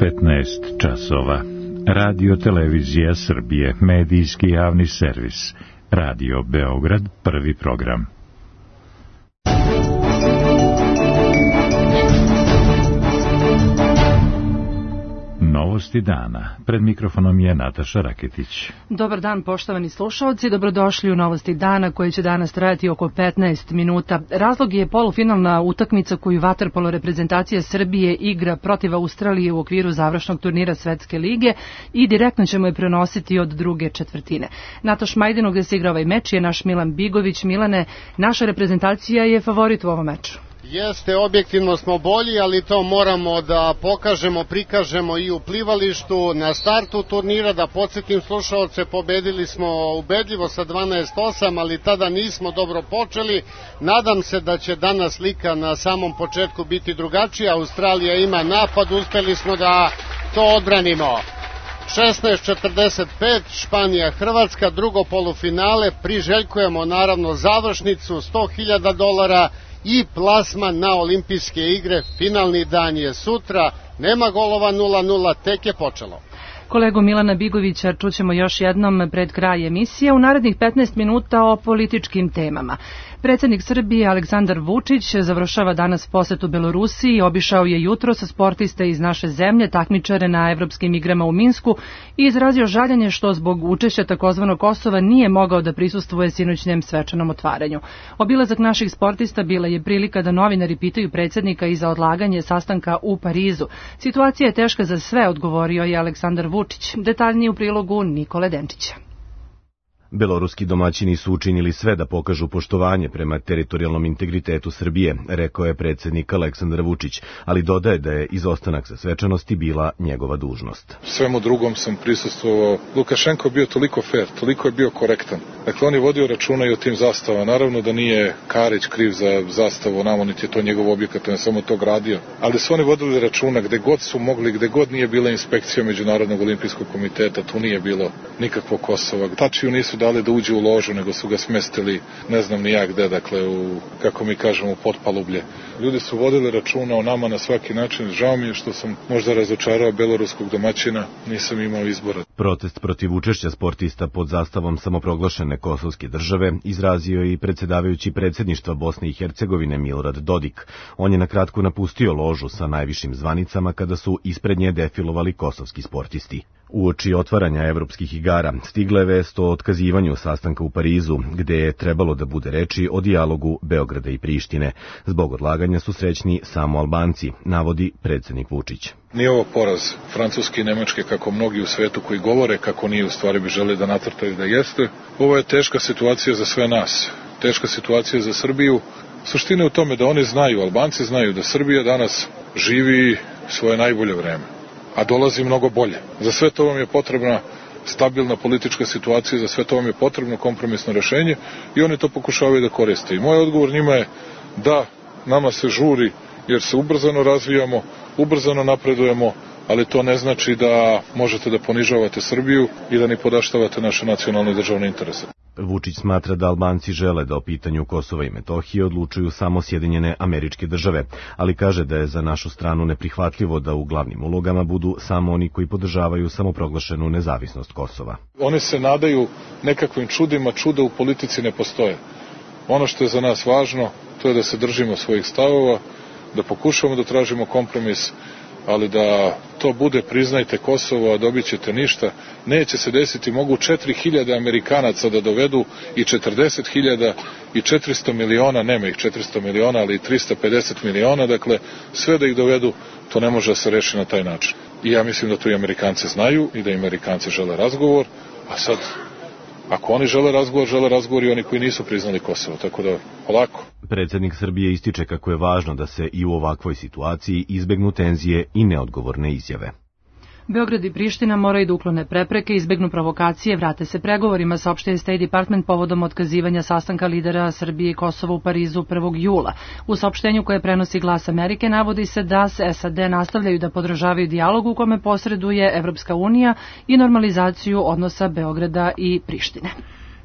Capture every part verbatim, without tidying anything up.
petnaest časova. Radio Televizija Srbije, medijski javni servis. Radio Beograd, prvi program. Novosti dana. Pred mikrofonom je Nataša Raketić. Dobar dan, poštovani slušaoci, dobrodošli u Novosti dana koje će danas trajati oko petnaest minuta. Razlog je polufinalna utakmica koju vaterpolo reprezentacija Srbije igra protiv Australije u okviru završnog turnira Svetske lige i direktno ćemo je prenositi od druge četvrtine. Natoš Majdinu gde se igra ovaj meč je naš Milan Bigović. Milane, naša reprezentacija je favorit u ovom meču. Jeste, objektivno smo bolji, ali to moramo da pokažemo, prikažemo i u plivalištu. Na startu turnira, da podsjetim slušaoce, pobedili smo ubedljivo sa dvanaest osam, ali tada nismo dobro počeli. Nadam se da će danas slika na samom početku biti drugačija. Australija ima napad, uspeli smo da to odbranimo. šesnaest četrdeset pet, Španija Hrvatska, drugo polufinale, priželjkujemo naravno završnicu, sto hiljada dolara i plasman na olimpijske igre. Finalni dan je sutra, nema golova, nula nula, tek je počelo. Kolegu Milana Bigovića čućemo još jednom pred kraj emisije u narednih petnaest minuta o političkim temama. Predsjednik Srbije Aleksandar Vučić završava danas posetu Belorusiji i obišao je jutro sa sportiste iz naše zemlje, takmičare na evropskim igrama u Minsku i izrazio žaljenje što zbog učešća takozvanog Kosova nije mogao da prisustvuje sinoćnjem svečanom otvaranju. Obilazak naših sportista bila je prilika da novinari pitaju predsjednika i za odlaganje sastanka u Parizu. Situacija je teška za sve, odgovorio je Aleksandar Vučić. Detaljnije u prilogu Nikole Denčića. Beloruski domaćini su učinili sve da pokažu poštovanje prema teritorijalnom integritetu Srbije, rekao je predsjednik Aleksandar Vučić, ali dodaje da je izostanak sa svečanosti bila njegova dužnost. Svemu drugom sam prisustvovao. Lukašenko je bio toliko fair, toliko je bio korektan. Dakle, on je vodio računa i o tim zastavama. Naravno da nije Karić kriv za zastavu, namo niti je to njegov objekat, on je samo to gradio. Ali su oni vodili računa gde god su mogli, gde god nije bila inspekcija Međunarodnog olimpijskog komiteta, tu nije bilo nikakvog Kosova. Tačiju nisu dali da uđe u ložu, nego su ga smestili ne znam ni ja gde, dakle u, kako mi kažemo, potpalublje. Ljudi su vodili računa o nama na svaki način. Žao mi je što sam možda razočarao beloruskog domaćina, nisam imao izbora. Protest protiv učešća sportista pod zastavom samoproglašene kosovske države izrazio i predsjedavajući predsjedništva Bosne i Hercegovine Milorad Dodik. On je na kratko napustio ložu sa najvišim zvanicama kada su ispred nje defilovali kosovski sportisti. Uoči otvaranja evropskih igara stigla je vest o otkazivanju sastanka u Parizu, gde je trebalo da bude reči o dijalogu Beograda i Prištine. Zbog odlaganja su srećni samo Albanci, navodi predsjednik Vučić. Nije ovo poraz Francuske i Nemačke kako mnogi u svetu koji govore kako nije, u stvari bi želi da nacrtaju da jeste. Ovo je teška situacija za sve nas, teška situacija za Srbiju. Suština je u tome da oni znaju, Albanci znaju da Srbija danas živi svoje najbolje vreme, a dolazi mnogo bolje. Za sve to vam je potrebna stabilna politička situacija, za sve to vam je potrebno kompromisno rešenje i oni to pokušavaju da koriste. I moj odgovor njima je da nama se žuri jer se ubrzano razvijamo, ubrzano napredujemo, ali to ne znači da možete da ponižavate Srbiju i da ni podaštavate naše nacionalne i državne interese. Vučić smatra da Albanci žele da o pitanju Kosova i Metohije odlučuju samo Sjedinjene Američke Države, ali kaže da je za našu stranu neprihvatljivo da u glavnim ulogama budu samo oni koji podržavaju samoproglašenu nezavisnost Kosova. Oni se nadaju nekakvim čudima, čuda u politici ne postoje. Ono što je za nas važno, to je da se držimo svojih stavova, da pokušamo da tražimo kompromis, ali da to bude priznajte Kosovo, a dobit ćete ništa, neće se desiti. Mogu četiri hiljade Amerikanaca da dovedu i četrdeset hiljada i četiristo miliona, nema ih četiristo miliona, ali i trista pedeset miliona, dakle sve da ih dovedu, to ne može da se reši na taj način. I ja mislim da to i Amerikanci znaju i da i Amerikanci žele razgovor, a sad ako oni žele razgovor, žele razgovor i oni koji nisu priznali Kosovo, tako da polako. Predsjednik Srbije ističe kako je važno da se i u ovakvoj situaciji izbegnu tenzije i neodgovorne izjave. Beograd i Priština moraju da uklone prepreke, izbegnu provokacije, vrate se pregovorima, saopštio je State Department povodom otkazivanja sastanka lidera Srbije i Kosova u Parizu prvog jula. U saopštenju koje prenosi Glas Amerike navodi se da se S A D nastavljaju da podržavaju dijalog u kome posreduje Evropska unija i normalizaciju odnosa Beograda i Prištine.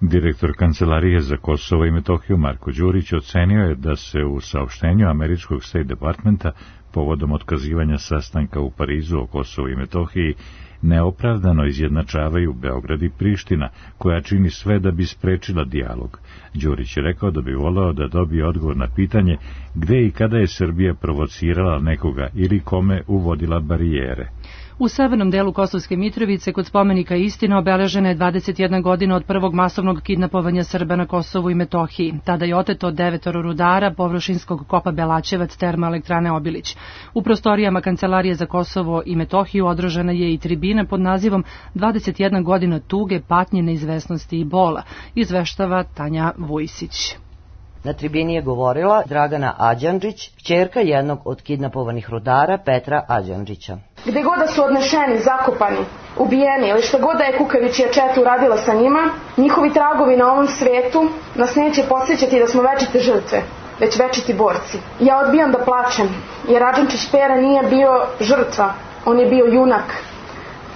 Direktor Kancelarije za Kosovo i Metohiju Marko Đurić ocenio je da se u saopštenju američkog State Departmenta povodom otkazivanja sastanka u Parizu o Kosovu i Metohiji neopravdano izjednačavaju Beograd i Priština, koja čini sve da bi sprečila dijalog. Đurić je rekao da bi voleo da dobije odgovor na pitanje gde i kada je Srbija provocirala nekoga ili kome uvodila barijere. U severnom delu Kosovske Mitrovice kod spomenika Istina obeležena je dvadeset jedna godina od prvog masovnog kidnapovanja Srba na Kosovu i Metohiji. Tada je oteto devetoro rudara površinskog kopa Belačevac termoelektrane Obilić. U prostorijama Kancelarije za Kosovo i Metohiju održana je i tribina pod nazivom dvadeset jedna godina tuge, patnje, neizvesnosti i bola, izveštava Tanja Vujsić. Na tribini je govorila Dragana Ađandžić, kćerka jednog od kidnapovanih rudara Petra Ađandžića. Gde god da su odnešeni, zakopani, ubijeni ili što god da je kukavičija četa uradila sa njima, njihovi tragovi na ovom svetu nas neće podsjećati da smo večite žrtve, već večiti borci. Ja odbijam da plačem, jer Ađandžić Pera nije bio žrtva, on je bio junak.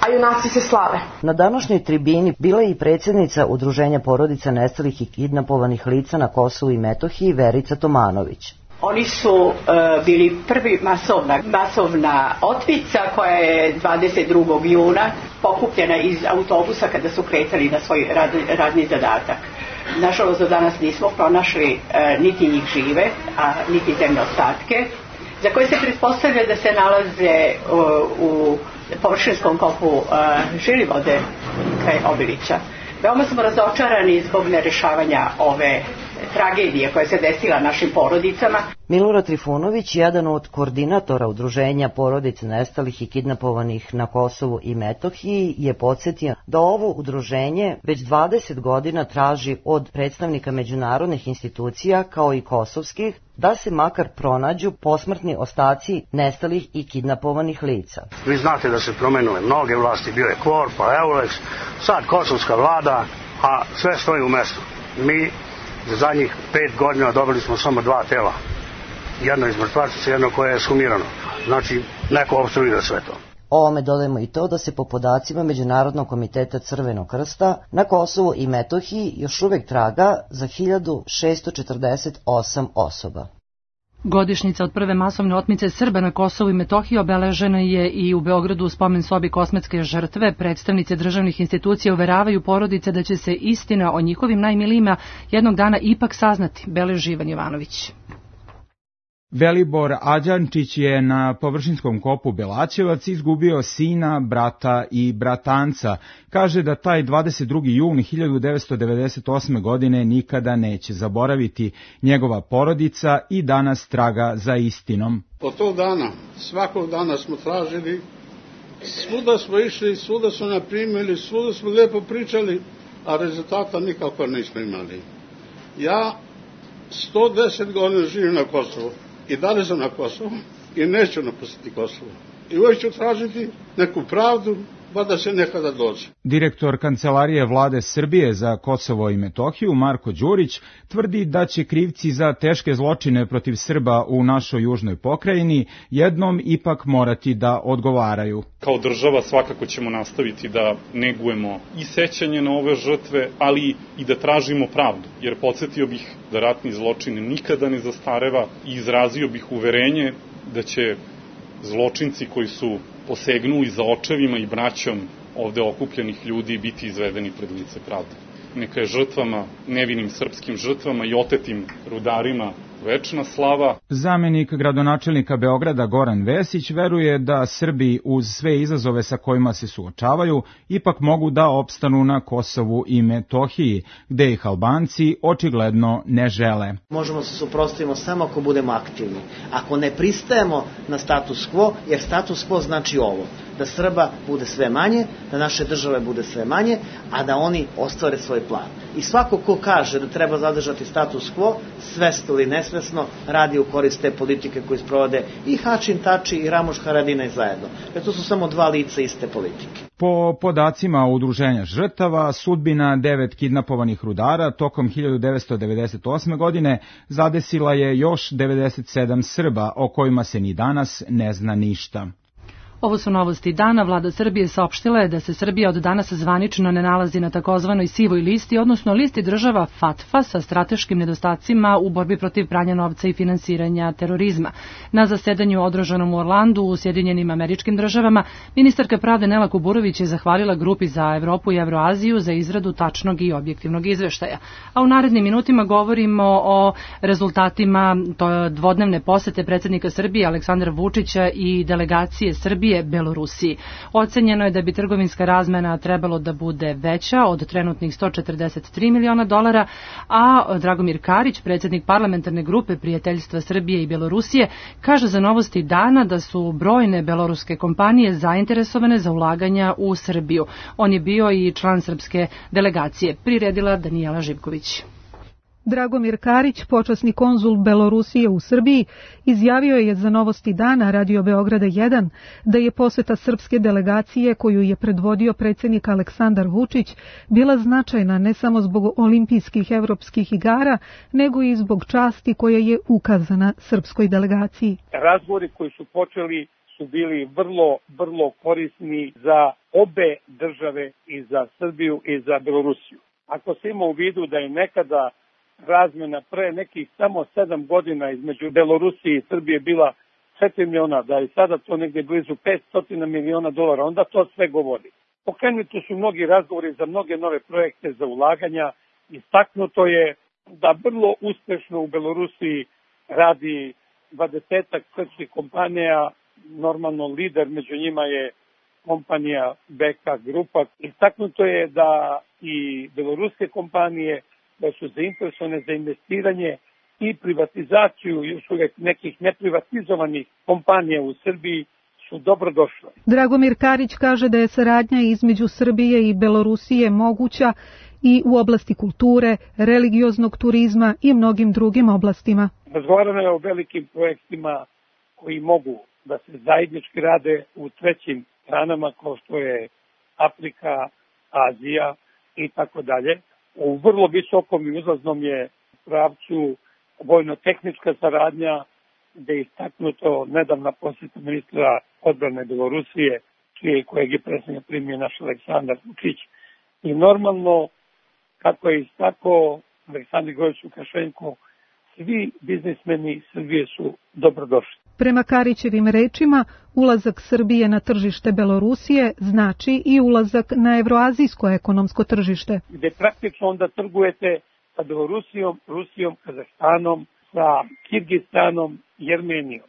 A junaci se slave. Na današnjoj tribini bila je i predsjednica Udruženja porodica nestalih i kidnapovanih lica na Kosovu i Metohiji Verica Tomanović. Oni su uh, bili prvi masovna, masovna otmica koja je dvadeset drugog juna pokupljena iz autobusa kada su kretali na svoj rad, radni zadatak. Nažalost, do danas nismo pronašli uh, niti njih žive, a niti zemne ostatke, za koje se pretpostavlja da se nalaze uh, u površinskom kopu uh, Žilivode kraj Obilića. Veoma smo razočarani zbog nerešavanja ove tragedije koja se desila našim porodicama. Milorad Trifunović, jedan od koordinatora Udruženja porodica nestalih i kidnapovanih na Kosovu i Metohiji, je podsjetio da ovo udruženje već dvadeset godina traži od predstavnika međunarodnih institucija kao i kosovskih da se makar pronađu posmrtni ostaci nestalih i kidnapovanih lica. Vi znate da se promenule mnoge vlasti, bio je Kvor, pa Eulex, sad kosovska vlada, a sve stoji u mestu. Mi za zadnjih pet godina dobili smo samo dva tela. Jedno iz mrtvačice, jedno koje je sumirano. Znači, neko opstruira sve to. Ovome dodajemo i to da se po podacima Međunarodnog komiteta Crvenog krsta na Kosovu i Metohiji još uvek traga za hiljadu šesto četrdeset osam osoba. Godišnjica od prve masovne otmice Srba na Kosovu i Metohiji obeležena je i u Beogradu u spomen sobi kosmetske žrtve. Predstavnice državnih institucija uveravaju porodice da će se istina o njihovim najmilijima jednog dana ipak saznati, beleži Ivan Jovanović. Velibor Ađančić je na površinskom kopu Belačevac izgubio sina, brata i bratanca. Kaže da taj dvadeset drugi jun hiljadu devetsto devedeset osme. godine nikada neće zaboraviti. Njegova porodica i danas traga za istinom. Od tog dana, svakog dana smo tražili, svuda smo išli, svuda smo naprimili, svuda smo lijepo pričali, a rezultata nikako nismo imali. Ja sto deset godina živim na Kosovu. I dalje sam na Kosovu i neću napustiti Kosovo. I uvijek ću tražiti neku pravdu, ba da se nekada dođe. Direktor Kancelarije vlade Srbije za Kosovo i Metohiju, Marko Đurić, tvrdi da će krivci za teške zločine protiv Srba u našoj južnoj pokrajini jednom ipak morati da odgovaraju. Kao država svakako ćemo nastaviti da negujemo i sećanje na ove žrtve, ali i da tražimo pravdu, jer podsjetio bih da ratni zločin nikada ne zastareva i izrazio bih uverenje da će zločinci koji su posegnuli za očevima i braćom ovde okupljenih ljudi biti izvedeni pred lice pravde. Neka je žrtvama, nevinim srpskim žrtvama i otetim rudarima večna slava. Zamenik gradonačelnika Beograda Goran Vesić veruje da Srbi uz sve izazove sa kojima se suočavaju ipak mogu da opstanu na Kosovu i Metohiji, gde ih Albanci očigledno ne žele. Možemo se suprotstaviti samo ako budemo aktivni. Ako ne pristajemo na status quo, jer status quo znači ovo, da Srba bude sve manje, da naše države bude sve manje, a da oni ostvare svoj plan. I svako ko kaže da treba zadržati status quo, svesno ili nesvesno, radi u korist te politike koje sprovode i Hačin Tači i Ramuš Haradinaj zajedno. Jer to su samo dva lica iste politike. Po podacima Udruženja žrtava, sudbina devet kidnapovanih rudara tokom hiljadu devetsto devedeset osme. godine zadesila je još devedeset sedam Srba, o kojima se ni danas ne zna ništa. Ovo su novosti dana. Vlada Srbije saopštila je da se Srbija od danas zvanično ne nalazi na takozvanoj sivoj listi, odnosno listi država FATF-a sa strateškim nedostacima u borbi protiv pranja novca i finansiranja terorizma. Na zasedanju održanom u Orlandu u Sjedinjenim Američkim Državama, ministarka pravde Nela Kuburović je zahvalila grupi za Evropu i Evroaziju za izradu tačnog i objektivnog izveštaja. A u narednim minutima govorimo o rezultatima dvodnevne posete predsjednika Srbije Aleksandra Vučića i delegacije Srbije Belorusiji. Ocenjeno je da bi trgovinska razmena trebalo da bude veća od trenutnih sto četrdeset tri miliona dolara, a Dragomir Karić, predsjednik parlamentarne grupe prijateljstva Srbije i Belorusije, kaže za novosti dana da su brojne beloruske kompanije zainteresovane za ulaganja u Srbiju. On je bio i član srpske delegacije. Priredila Danijela Živković. Dragomir Karić, počasni konzul Belorusije u Srbiji, izjavio je za novosti dana Radio Beograda jedan da je poseta srpske delegacije koju je predvodio predsjednik Aleksandar Vučić bila značajna ne samo zbog olimpijskih evropskih igara, nego i zbog časti koja je ukazana srpskoj delegaciji. Razgovori koji su počeli su bili vrlo, vrlo korisni za obe države, i za Srbiju i za Belorusiju. Ako se ima u vidu da je nekada razmena pre nekih samo sedam godina između Belorusije i Srbije bila četiri miliona, da je sada to negde blizu petsto miliona dolara, onda to sve govori. Pokrenuti su mnogi razgovori za mnoge nove projekte za ulaganja. Istaknuto je da vrlo uspešno u Belorusiji radi dvadesetak srpskih kompanija, normalno lider među njima je kompanija B K Grupa. Istaknuto je da i beloruske kompanije da su zainteresovane za investiranje i privatizaciju još uvijek nekih neprivatizovanih kompanija u Srbiji su dobrodošle. Dragomir Karić kaže da je saradnja između Srbije i Belorusije moguća i u oblasti kulture, religioznog turizma i mnogim drugim oblastima. Razgovarano je o velikim projektima koji mogu da se zajednički rade u trećim stranama kao što je Afrika, Azija i tako dalje. U vrlo visokom i uzlaznom je pravcu vojno-tehnička saradnja, gde je istaknuto nedavna posjeta ministra odbrane Belorusije, čije kojeg je predsjednik primio naš Aleksandar Vučić. I normalno, kako je istakao Aleksandar Grgović Lukašenko, svi biznismeni Srbije su dobrodošli. Prema Karićevim rečima, ulazak Srbije na tržište Belorusije znači i ulazak na evroazijsko ekonomsko tržište. Gde praktično onda trgujete sa Belorusijom, Rusijom, Kazahstanom, sa Kirgistanom i Armenijom.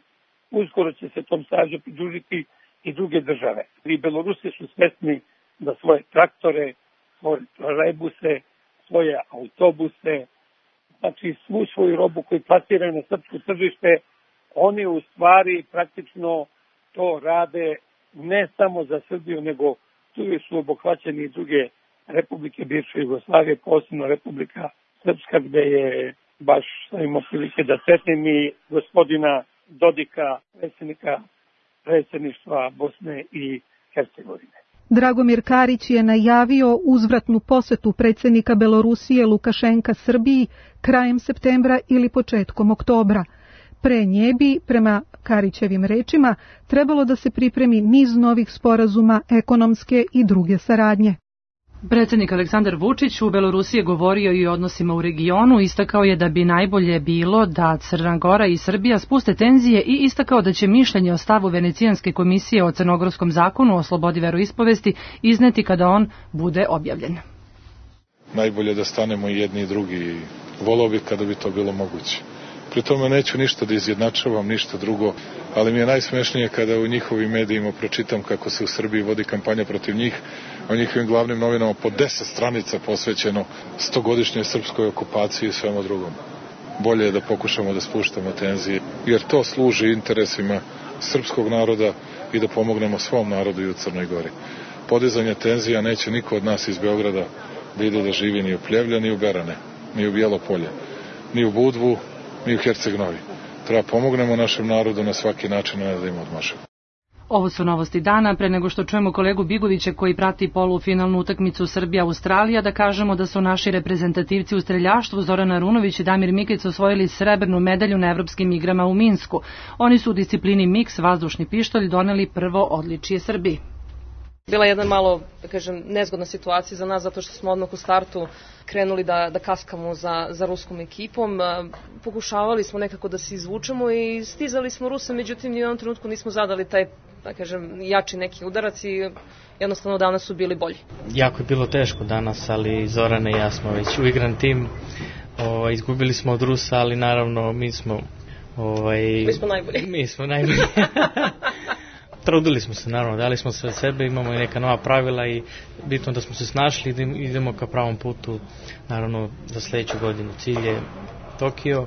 Uskoro će se tom savezu pridružiti i druge države. I Belorusi su svesni da svoje traktore, svoje trolejbuse, svoje autobuse, znači svu svoju robu koju plasiraju na srpsko tržište, oni u stvari praktično to rade ne samo za Srbiju, nego tu su obuhvaćeni i druge republike bivše Jugoslavije, posebno Republika Srpska, gde je baš imao prilike da sretnem i gospodina Dodika, predsjednika predsjedništva Bosne i Hercegovine. Dragomir Karić je najavio uzvratnu posetu predsjednika Belorusije Lukašenka Srbiji krajem septembra ili početkom oktobra. Pre nje bi, prema Karićevim rečima, trebalo da se pripremi niz novih sporazuma ekonomske i druge saradnje. Predsjednik Aleksandar Vučić u Belorusiji je govorio i o odnosima u regionu, istakao je da bi najbolje bilo da Crna Gora i Srbija spuste tenzije i istakao da će mišljenje o stavu Venecijanske komisije o crnogorskom zakonu o slobodi veroispovesti izneti kada on bude objavljen. Najbolje da stanemo i jedni i drugi, volao bih kada bi to bilo moguće. Pri tome neću ništa da izjednačavam, ništa drugo, ali mi je najsmešnije kada u njihovim medijima pročitam kako se u Srbiji vodi kampanja protiv njih, a u njihovim glavnim novinama po deset stranica posvećeno stogodišnjoj srpskoj okupaciji i svemu drugom. Bolje je da pokušamo da spuštamo tenzije, jer to služi interesima srpskog naroda i da pomognemo svom narodu i u Crnoj Gori. Podizanje tenzija neće niko od nas iz Beograda da ide da živi ni u Pljevlja, ni u Berane, ni u Bijelo Polje, ni u Budvu, ni u Herceg Novi. Treba pomognemo našem narodu na svaki način, ne da im odmašemo. Ovo su novosti dana. Pre nego što čujemo kolegu Bigovića koji prati polufinalnu utakmicu Srbija-Australija, da kažemo da su naši reprezentativci u streljaštvu Zoran Arunović i Damir Mikić osvojili srebrnu medalju na evropskim igrama u Minsku. Oni su u disciplini miks vazdušni pištolj doneli prvo odličje Srbiji. Bila jedna malo, da kažem, nezgodna situacija za nas zato što smo odmah u startu krenuli da, da kaskamo za, za ruskom ekipom. Pokušavali smo nekako da se izvučemo i stizali smo Rusa, međutim ni u jednom trenutku nismo zadali taj, da kažem, jači neki udarac i jednostavno danas su bili bolji. Jako je bilo teško danas, ali Zorana i ja smo već uigran tim. O, izgubili smo od Rusa, ali naravno mi smo... Ovaj, mi smo najbolji. Mi smo najbolji. Trudili smo se, naravno, dali smo sve od sebe, imamo i neka nova pravila i bitno da smo se snašli i idemo ka pravom putu, naravno, za sledeću godinu. Cilj je Tokio.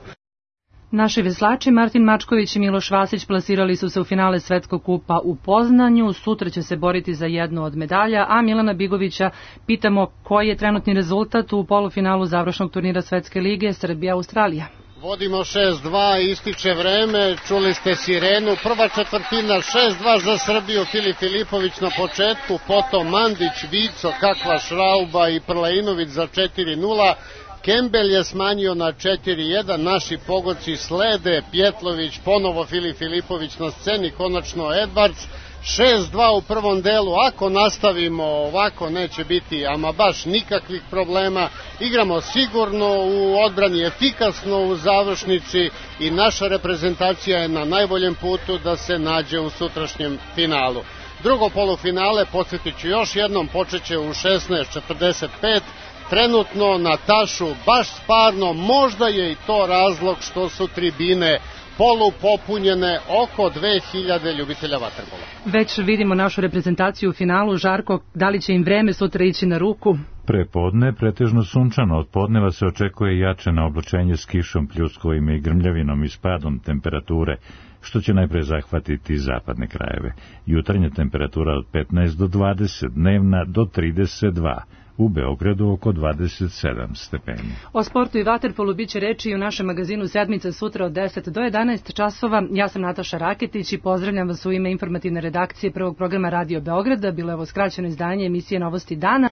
Naši veslači Martin Mačković i Miloš Vasić plasirali su se u finale Svetskog kupa u Poznanju. Sutra će se boriti za jednu od medalja, a Milana Bigovića pitamo koji je trenutni rezultat u polufinalu završnog turnira Svetske lige Srbija-Australija. Vodimo šest dva, ističe vreme, čuli ste sirenu, prva četvrtina šest dva za Srbiju, Filip Filipović na početku, potom Mandić, Vico, kakva šrauba i Prlainović za četiri nula, Kembel je smanjio na četiri jedan, naši pogodci slede, Pjetlović, ponovo Filip Filipović na sceni, konačno Edvards, šest dva u prvom delu, ako nastavimo ovako neće biti ama baš nikakvih problema, igramo sigurno u odbrani, efikasno u završnici i naša reprezentacija je na najboljem putu da se nađe u sutrašnjem finalu. Drugo polufinale, podsjetit ću još jednom, počeće u šesnaest četrdeset pet, trenutno na tašu baš sparno, možda je i to razlog što su tribine polu popunjene, oko dve hiljade ljubitelja vaterpola. Već vidimo našu reprezentaciju u finalu. Žarko, da li će im vreme sutra ići na ruku? Prepodne pretežno sunčano, od podneva se očekuje jače na oblačenje s kišom, pljuskovima i grmljavinom i spadom temperature, što će najpre zahvatiti zapadne krajeve. Jutarnja temperatura od petnaest do dvadeset, dnevna do trideset dva. U Beogradu oko dvadeset sedam stepeni. O sportu i vaterpolu biće reči i u našem magazinu Sedmica sutra od deset do jedanaest časova. Ja sam Nataša Raketić i pozdravljam vas u ime informativne redakcije prvog programa Radio Beograda. Bilo je ovo skraćeno izdanje emisije Novosti dana.